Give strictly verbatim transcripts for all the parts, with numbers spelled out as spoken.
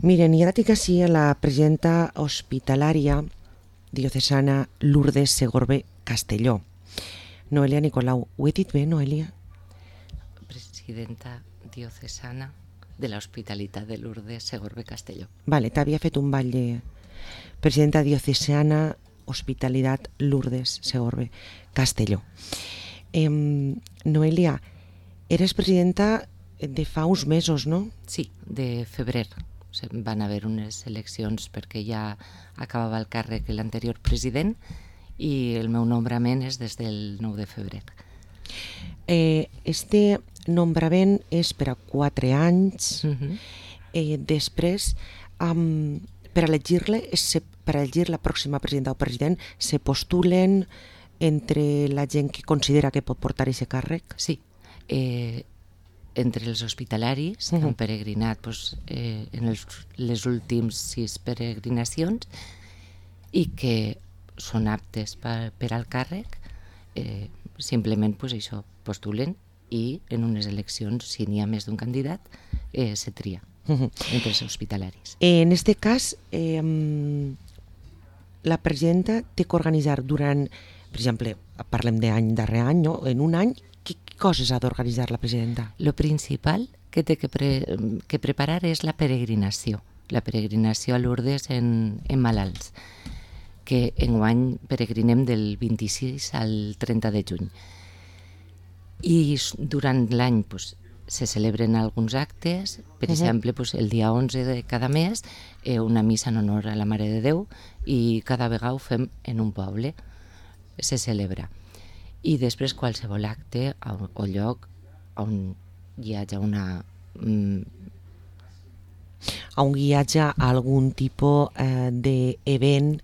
Miren, i ara tinc així a la presidenta hospitalària diocesana Lourdes Segorbe Castelló. Noelia Nicolau. Ho he dit bé, Noelia? Presidenta diocesana de l'Hospitalitat de Lourdes Segorbe Castelló. Vale, t'havia fet un ball de presidenta diocesana Hospitalitat Lourdes Segorbe Castelló. Eh, Noelia, eres presidenta de fa uns mesos, no? Sí, de febrer. Van haver unes eleccions perquè ja acabava el càrrec l'anterior president i el meu nombrament és des del nou de febrer. Eh, este nombrament és per a quatre anys. Uh-huh. eh, després, um, per elegir-le, per elegir la pròxima presidenta o president, se postulen entre la gent que considera que pot portar aquest càrrec? Sí, eh, entre els hospitalaris que uh-huh. han peregrinat pues, eh, en els, les últims sis peregrinacions i que són aptes per, per al càrrec, eh, simplement pues, això, postulen i en unes eleccions, si n'hi ha més d'un candidat, eh, se tria uh-huh. entre els hospitalaris. En este cas, eh, la presidenta té que organitzar durant, per exemple, parlem d'any darrer any, no? En un any, què coses ha d'organitzar la presidenta? Lo principal que té que, pre, que preparar és la peregrinació, la peregrinació a Lourdes en, en malalts, que enguany peregrinem del vint-i-sis al trenta de juny. I durant l'any pues, se celebren alguns actes, per uh-huh. exemple, pues, el dia onze de cada mes, eh, una missa en honor a la Mare de Déu, i cada vegada ho fem en un poble, se celebra. I després qualsevol acte o lloc on hi hagi una... Mm, a un guiatge a algun tipus eh, d'event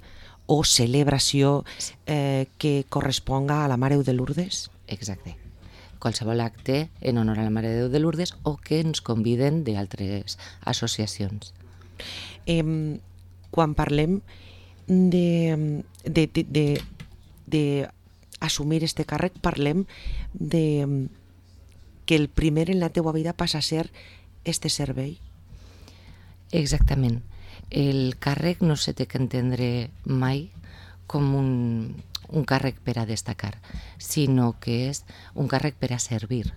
o celebració eh, que corresponga a la Mare de Lourdes? Exacte. Qualsevol acte en honor a la Mare de Déu de Lourdes o que ens conviden d'altres associacions. Eh, quan parlem de, de, de, de, de assumir este càrrec, parlem de que el primer en la teua vida passa a ser este servei. Exactament. El càrrec no se té que entendre mai com un, un càrrec per a destacar, sinó que és un càrrec per a servir.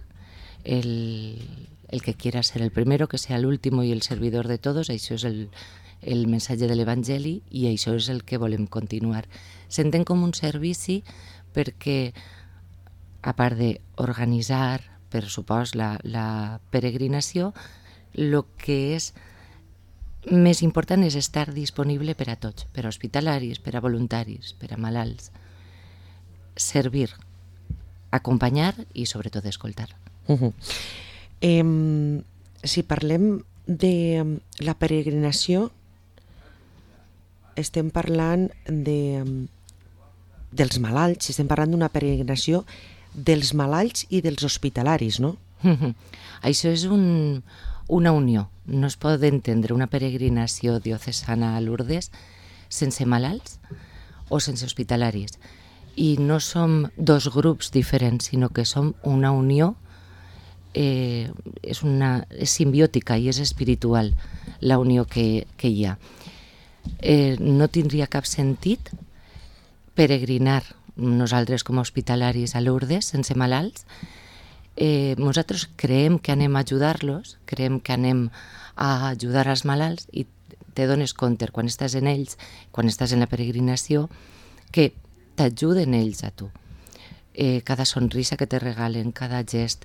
El, el que quiera ser el primero, que sea el último y el servidor de todos, això és el, el missatge de l'Evangeli i això és el que volem continuar. S'entén com un servici perquè, a part d'organitzar, per supost, la, la peregrinació, el que és més important és estar disponible per a tots, per a hospitalaris, per a voluntaris, per a malalts. Servir, acompanyar i sobretot escoltar. Uh-huh. Eh, si parlem de la peregrinació, estem parlant de, dels malalts, estem parlant d'una peregrinació dels malalts i dels hospitalaris, no? Uh-huh. Això és un, una unió. No es pot entendre una peregrinació diocesana a Lourdes sense malalts o sense hospitalaris. I no som dos grups diferents, sinó que som una unió, eh, és, una, és simbiòtica i és espiritual la unió que, que hi ha. Eh, no tindria cap sentit peregrinar nosaltres com a hospitalaris a Lourdes sense malalts. Eh, nosaltres creiem que anem a ajudar-los, creiem que anem a ajudar als malalts i te dones compte quan estàs en ells, quan estàs en la peregrinació, que t'ajuden ells a tu. Eh, cada sonrisa que te regalen, cada gest,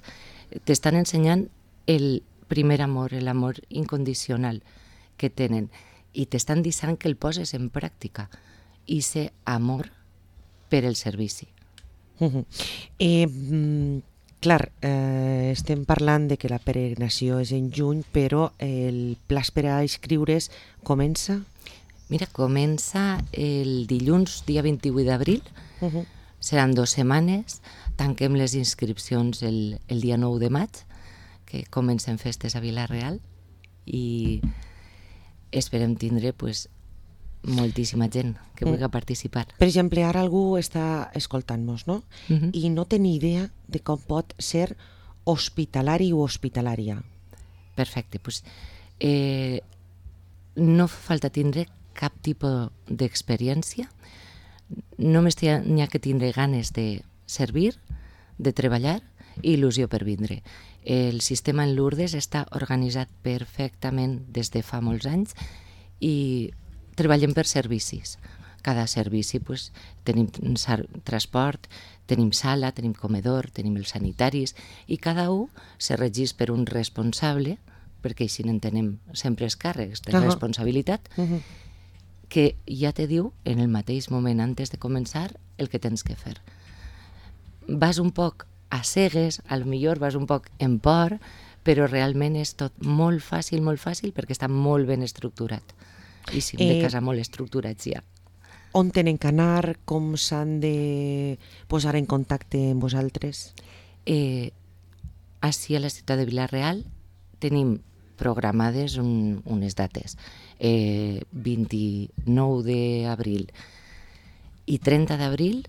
t'estan ensenyant el primer amor, l'amor incondicional que tenen i t'estan dient que el poses en pràctica i ser amor per el servici. Uh-huh. Eh, clar, eh, estem parlant de que la peregrinació és en juny, però el plaç per a inscriure's comença? Mira, comença el dilluns, dia vint-i-vuit d'abril, uh-huh. Seran dues setmanes, tanquem les inscripcions el, el dia nou de maig, que comencen festes a Vila-real, i esperem tindre pues, moltíssima gent que vulgui participar. Per exemple, ara algú està escoltant-nos, no? Uh-huh. I no té ni idea de com pot ser hospitalari o hospitalària. Perfecte. Pues, eh, no fa falta tindre cap tipus d'experiència, només n'hi ha que tindre ganes de servir, de treballar i il·lusió per vindre. El sistema en Lourdes està organitzat perfectament des de fa molts anys i treballem per servicis. Cada servici, pues, tenim transport, tenim sala, tenim comedor, tenim els sanitaris i cada un se regeix per un responsable, perquè així n'entenem sempre els càrrecs de uh-huh. responsabilitat, uh-huh. que ja te diu en el mateix moment antes de començar el que tens que fer. Vas un poc a cegues, a lo millor vas un poc en por, però realment és tot molt fàcil, molt fàcil, perquè està molt ben estructurat. I si hem de casa molt estructurats ja. On tenen que anar? Com s'han de posar en contacte amb vosaltres? Eh, així a la ciutat de Vila-real tenim programades un, unes dates. Eh, vint-i-nou d'abril i trenta d'abril,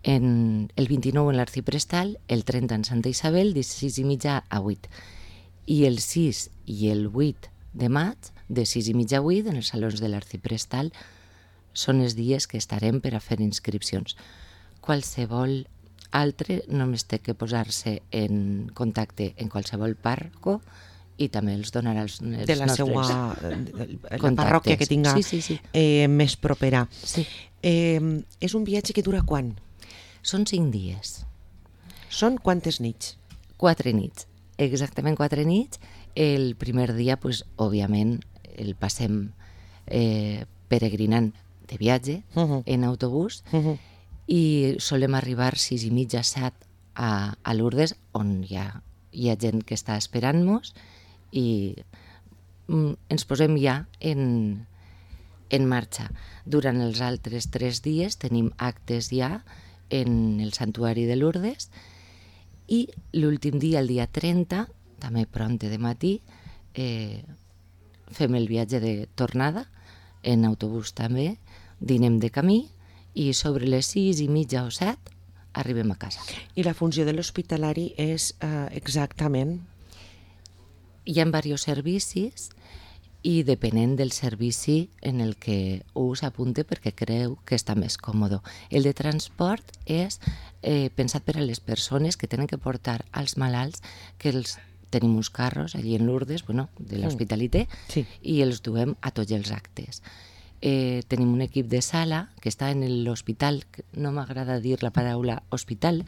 en, el vint-i-nou en l'Arciprestal, el trenta en Santa Isabel, de sis i mitja a vuit. I el sis i el vuit de maig, de sis i mitja a vuit, en els salons de l'Arciprestal, són els dies que estarem per a fer inscripcions. Qualsevol altre només té que posar-se en contacte en qualsevol parco i també els donarà els, els de la nostres seva la parròquia que tinga sí, sí, sí. Eh, més propera. Sí. Eh, és un viatge que dura quan? Són cinc dies. Són quantes nits? Quatre nits, exactament quatre nits. El primer dia, pues, òbviament, el passem eh, peregrinant de viatge uh-huh. en autobús uh-huh. i solem arribar sis i mitja, set a, a Lourdes, on hi ha, hi ha gent que està esperant-nos i mm, ens posem ja en, en marxa. Durant els altres tres dies tenim actes ja en el santuari de Lourdes i l'últim dia, el dia trenta, també pronte de matí, eh, fem el viatge de tornada en autobús també, dinem de camí i sobre les sis i mitja o set arribem a casa. I la funció de l'hospitalari és eh, exactament? Hi ha diversos servicis i depenent del servici en el que un s'apunte perquè creu que està més còmode. El de transport és eh, pensat per a les persones que tenen que portar als malalts, que els tenim uns carros allí en Lourdes, bueno, de l'Hospitalité, sí. i els duem a tots els actes. Eh, tenim un equip de sala que està en l'hospital, no m'agrada dir la paraula hospital,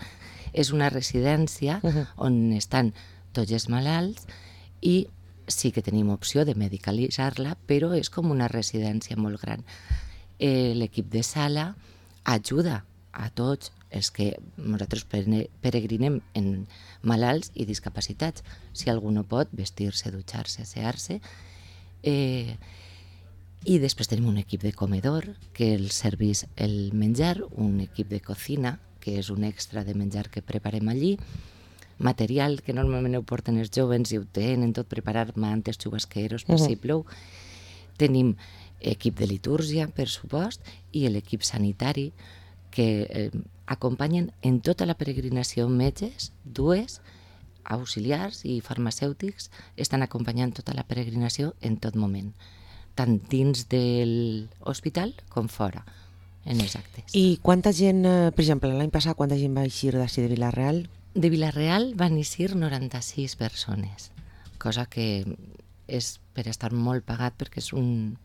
és una residència uh-huh. on estan tots els malalts i sí que tenim opció de medicalitzar-la, però és com una residència molt gran. Eh, l'equip de sala ajuda a tots els que nosaltres peregrinem en malalts i discapacitats. Si algú no pot, vestir-se, dutxar-se, assear-se. Eh, I després tenim un equip de comedor que els serveix el menjar, un equip de cocina, que és un extra de menjar que preparem allí, material que normalment ho porten els joves i ho tenen tot preparar, mantes, xubasqueros, per uh-huh. si plou. Tenim equip de litúrgia, per supost, i l'equip sanitari, que eh, acompanyen en tota la peregrinació metges, dues, auxiliars i farmacèutics, estan acompanyant tota la peregrinació en tot moment, tant dins de l'hospital com fora, en els actes. I quanta gent, per exemple, l'any passat, quanta gent va eixir d'ací de Vila-real? De Vila-real van eixir noranta-sis persones, cosa que és per estar molt pagat perquè és un...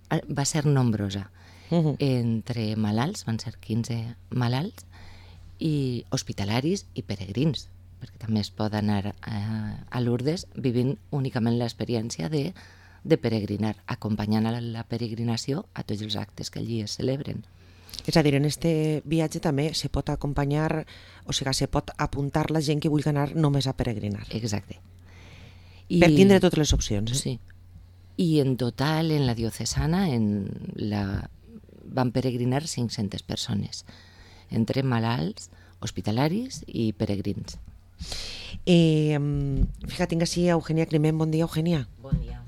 va ser nombrosa. Uh-huh. Entre malalts, van ser quinze malalts, i hospitalaris i peregrins, perquè també es pot anar a, a Lourdes vivint únicament l'experiència de de peregrinar, acompanyant a la peregrinació a tots els actes que allí es celebren. És a dir, en este viatge també se pot acompanyar, o sigui, se pot apuntar la gent que vulgui anar només a peregrinar. Exacte. I... per tindre totes les opcions. Eh? Sí. I en total, en la diocesana, en la... van peregrinar cinc-centes persones, entre malalts, hospitalaris i peregrins. Eh, fíjate, tinc així a Eugenia Climent. Bon dia, Eugenia. Bon dia.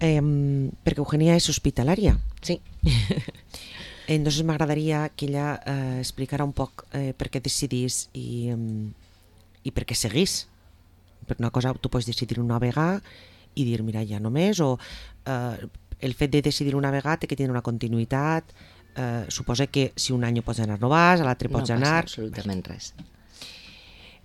Eh, perquè Eugenia és hospitalària. Sí. Entonces m'agradaria que ella eh, explicara un poc eh, per què decidís i, um, i per què seguís. Per una cosa, tu pots decidir una vegada i dir, mira, ja no més, o eh, el fet de decidir una vegada té que tenir una continuïtat, eh, suposa que si un any pots anar no vas, a l'altre pots no anar... No passa absolutament res.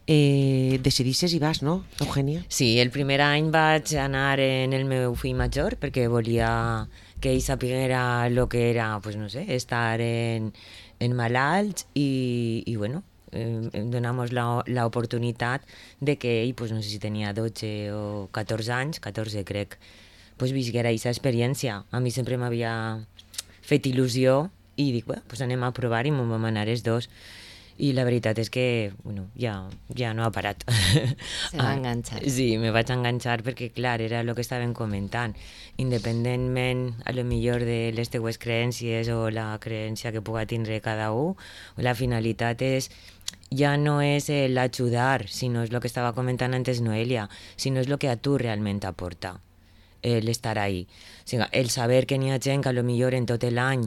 Eh, decidisses i vas, no, Eugènia? Sí, el primer any vaig anar en el meu fill major perquè volia que ell sapiguera el que era, pues no sé, estar en, en malalts i, i bueno, eh, donamos la, la oportunitat de que ell, pues no sé si tenia dotze o catorze anys, catorze crec, pues visquera aquesta experiència. A mi sempre m'havia fet il·lusió i dic, bueno, pues anem a provar i m'ho vam anar els dos. I la veritat és que, bueno, ja, ja no ha parat. Se va enganxar. Sí, me vaig enganxar perquè, clar, era el que estàvem comentant. Independentment, a lo millor de les teues creències o la creència que puga tindre cada un, la finalitat és, ja no és l'ajudar, sinó és el que estava comentant antes Noelia, sinó és el que a tu realment t'aporta, l'estar ahí. O sigui, el saber que n'hi ha gent que a lo millor en tot l'any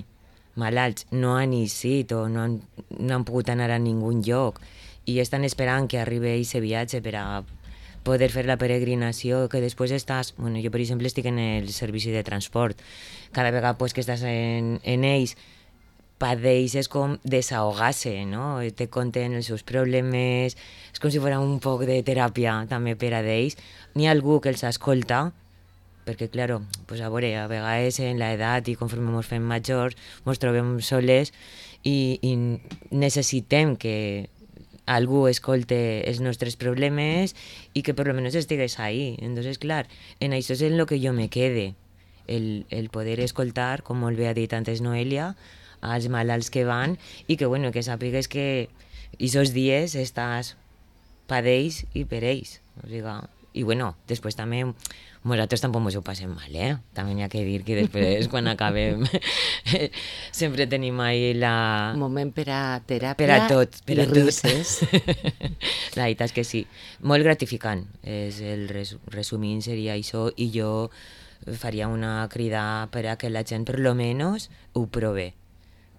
malalts no han eixit o no han, no han pogut anar a ningun lloc i estan esperant que arribi aquest viatge per a poder fer la peregrinació, que després estàs... Bueno, jo, per exemple, estic en el servici de transport. Cada vegada pues, que estàs en, en ells, padeixes com desahogar-se, no? Te conten els seus problemes, és com si fos un poc de teràpia també per a d'ells. N'hi ha algú que els escolta, perquè, claro, pues a veure, a vegades en l'edat i conforme ens fem majors ens trobem soles i, i necessitem que algú escolte els nostres problemes i que per lo menos estigues ahí. Entonces, clar, en això és en lo que jo me quede, el, el poder escoltar, com molt bé ha dit antes Noelia, als malalts que van i que, bueno, que sàpigues que aquests dies estàs per ells i per ells. O sigui, i, bueno, després també nosaltres tampoc ens ho passem mal, eh? També n'hi ha que dir que després, quan acabem, sempre tenim ahí la... Moment per a teràpia per a tot, per a i risses. La veritat és que sí. Molt gratificant. És el res, resumint seria això i jo faria una crida per a que la gent per lo menos ho prove.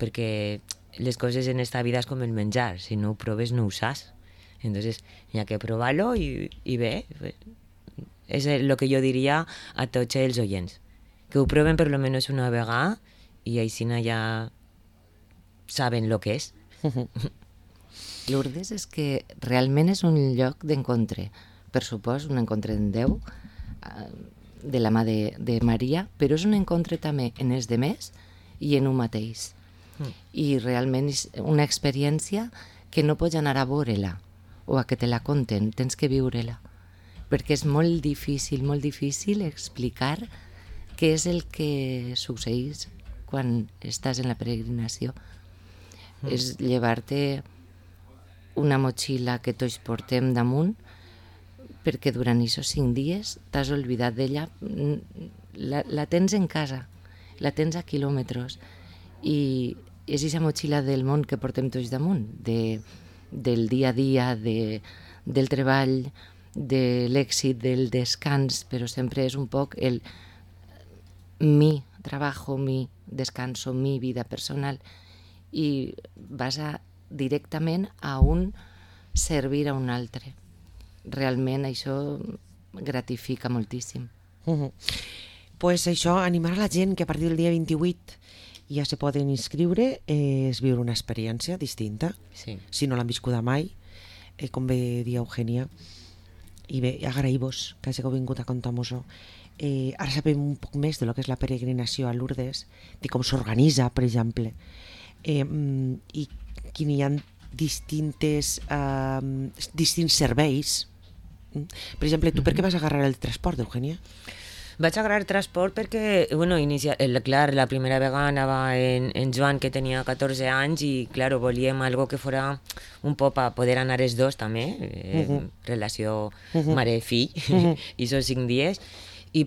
Perquè les coses en esta vida és com el menjar. Si no ho proves no ho saps. Entonces, hi ha que provar-lo i, i bé... És el que jo diria a tots els oients, que ho proven per lo menos una vegada i així ja saben el que és. Lourdes és que realment és un lloc d'encontre, per supòs, un encontre en Déu, de la mà de, de Maria, però és un encontre també en els demés i en un mateix. Mm. I realment és una experiència que no pots anar a veure-la o a que te la conten, tens que viure-la. Perquè és molt difícil, molt difícil explicar què és el que succeeix quan estàs en la peregrinació. Mm. És llevar-te una motxilla que tots portem damunt perquè durant aquests cinc dies t'has oblidat d'ella, la, la tens en casa, la tens a quilòmetres i és aquesta motxilla del món que portem tots damunt, de, del dia a dia, de, del treball, de l'èxit, del descans, però sempre és un poc el mi trabajo, mi descanso, mi vida personal i vas a, directament a un servir a un altre. Realment això gratifica moltíssim. Uh-huh. Pues això, animar a la gent que a partir del dia vint-i-vuit ja se poden inscriure, eh, és viure una experiència distinta, sí. Si no l'han viscuda mai, eh, com bé dia Eugènia. I bé, agraï-vos que hàgiu vingut a contar-nos-ho. Eh, ara sabem un poc més de lo que és la peregrinació a Lourdes, de com s'organitza, per exemple, eh, i que hi ha distintes, eh, distints serveis. Per exemple, tu per què vas agarrar el transport, Eugènia? Vaig agarrar transport perquè, bueno, inicia, el, clar, la primera vegada anava en, en Joan, que tenia catorze anys, i, clar, volíem algo que fora un poc a poder anar els dos, també, eh, uh-huh. relació uh-huh. mare-fill, uh-huh. i són cinc dies, i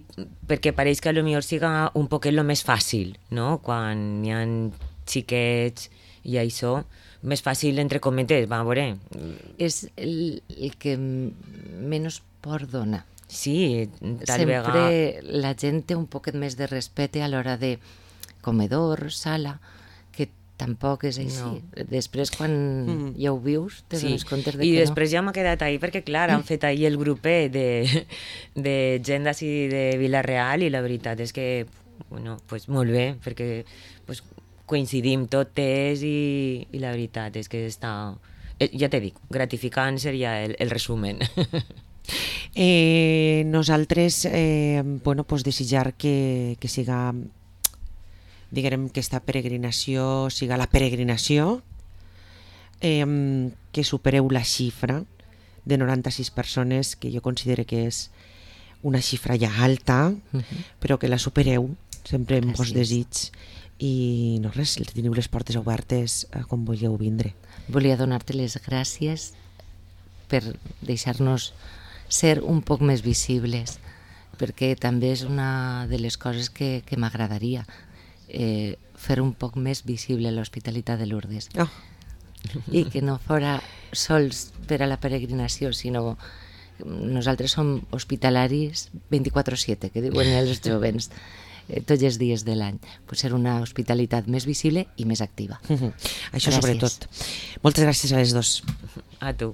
perquè pareix que potser siga un poquet el més fàcil, no?, quan hi ha xiquets i això, més fàcil, entre cometes, va, a veure. És el, el que menys por dona. Sí, tal sempre vegada... la gent té un poquet més de respecte a l'hora de comedor, sala, que tampoc és així. No. Després, quan Mm. ja ho vius, te Sí, dones compte de i que després ja m'ha quedat ahí perquè, clar, han fet ahir el grupet de, de gent d'ací de Vila-real i la veritat és que, bueno, pues molt bé, perquè pues, coincidim totes i, i la veritat és que està, eh, ja t'he dit, gratificant seria el, el resumen. Eh, nosaltres, eh, bueno, pues desitjar que, que siga, diguem que esta peregrinació siga la peregrinació, eh, que supereu la xifra de noranta-sis persones, que jo considero que és una xifra ja alta, Mhm. però que la supereu sempre amb vos Gràcies. desig, i no res, teniu les portes obertes eh, quan vulgueu vindre. Volia donar-te les gràcies per deixar-nos ser un poc més visibles, perquè també és una de les coses que, que m'agradaria, eh, fer un poc més visible l'Hospitalitat de Lourdes. Oh. I que no fora sols per a la peregrinació, sinó nosaltres som hospitalaris vint-i-quatre sete, que diuen els jovens, eh, tots els dies de l'any. Pues ser una hospitalitat més visible i més activa. Això Gràcies. sobretot. Moltes gràcies a les dos. A tu.